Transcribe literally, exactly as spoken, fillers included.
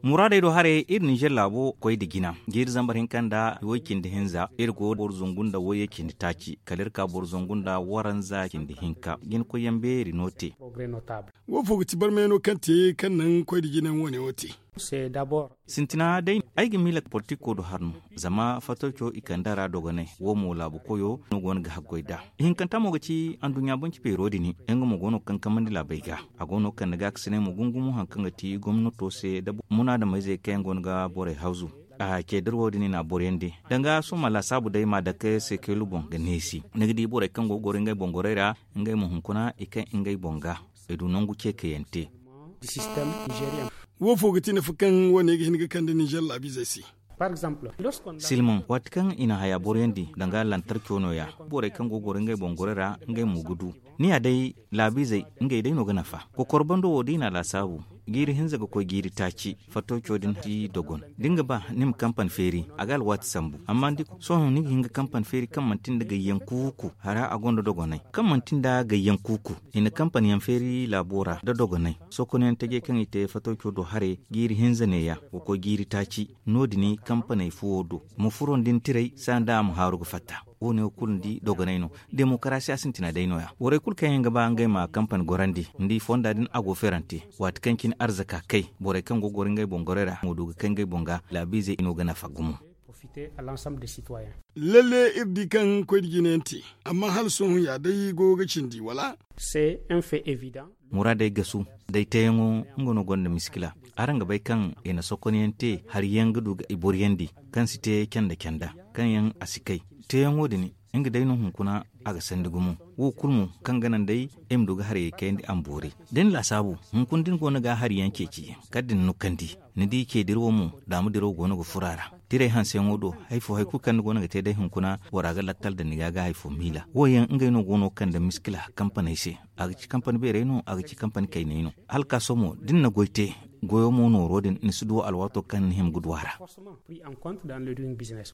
Muraadey do haray iri ninzeer laabo koy nda jina jiiri zambar hinka nda way cindi hinza iri go boro zangu nda wayye cindi taaci kala iri ka boro zangu nda waranza cindi hinka jina koyyaŋ beeri no te. Wo fo ga ti barmayano kaŋ te kaŋ naŋ koy nda jina yaŋ wane wo te? Sintina day ay ga miila politiko do har no. Zama fatawco i kande a ra dogonay wo mo laabu koyo no go no ga haggoy nd'a. Ihinkanta mo ga ti anduɲɲa banci beero din. Nga mo go no ga kankamandi laabey ga. A go no ga kande gaakasinay mo gungumo hari kaŋ ga ti gomnato se nda munaadameyzey kaŋ yaŋ go no ga borey hawzu. A ce da iri wo- din i n'a boroyandi danga sohõ ma laasaabu day ma dake seekelu boŋ ga neesi ni ga di borey kaŋ go ga goro ngey boŋ gorey ra. Ngey mo hunkuna i kay ngey boŋ ga i du nangu ce kayante. Wo fo ga ti nafa kaŋ wo- ne ga hin ga kande ninzeer laabiizey se? Silmaŋ waati kaŋ i na haya boroyandi danga lantarco nooya borey kaŋ go ga goro ngey boŋ gorey ra ngey mo ga du. Ni ya day laabiizey ngey day no ga nafa. Kokor bando wo da i na a laasaabu jiiri hinza ga koy jiiri taaci. Fatawco din si dogon da ni ga ba ni ma kampani feeri a ga alwaati sambu amma ni di sohõ ni ga hin ga kampani feeri kaŋ manti nda gayyaŋ kuuku hara a gonda dogonay kaŋ manti nda gayyaŋ kuuku. I na kampani yaŋ feeri laabo ra nda dogonay sohõ kone yaŋ tajey kaŋ i te fatawco do haray jiiri hinza neeya ga koy jiiri taaci. No- din kampaney fuwo do ma furo nda ni tiray saani da a ma haaru ga fatta. Wo- ne wo kulu ni di dogonay no. Demokarasiya sintina day nooya borey kulu kaŋ yaŋ ga ba ngey ma kampani gorandi ni di fonda din a go feerante. Waati kaŋ cine arzaka kay borey kaŋ go ga goro ngey boŋ gorey ra mo du ga kay ngey boŋ ga laabiizey no ga nafa gumo. Lalle iri di kaŋ koy nda jina yaŋ te. Amma hala sohõ ya day go ga cindi wala? Muraadey gasu day teeyaŋo nga no gonda miskila. Araŋ ga bay kaŋ i na sokonyaŋ te hari yaŋ ga du ga i boroyandi kaŋ si te canda canda kaŋ yaŋ a si kay. Teeyaŋo din nga day no hunkuna a ga sandi gumo. Wo kulu mo kaŋ ga naŋ day ay ma du ga harayey kayandi a ma boori. Da ni laasaabu hunkuna da ni go no ga hari yaŋ ceeci kala da ni nukandi ni di ce dirawo mo daama dirawo go no ga furo a ra. Tiray hanseyaŋo do hari fo hari kulu kaŋ ni go no ga te day hunkuna bora ga lakkal da ni ga ga hari fo miila wo yaŋ ngey no go no ga kande miskila kampaney se. A ga ci kampani beerey no a ga ci kampani kayney no. Hala ka sohõ mo da ni na goy te goyo mo nooro din ni si du alwaato kaŋ ni hima ga du a ra.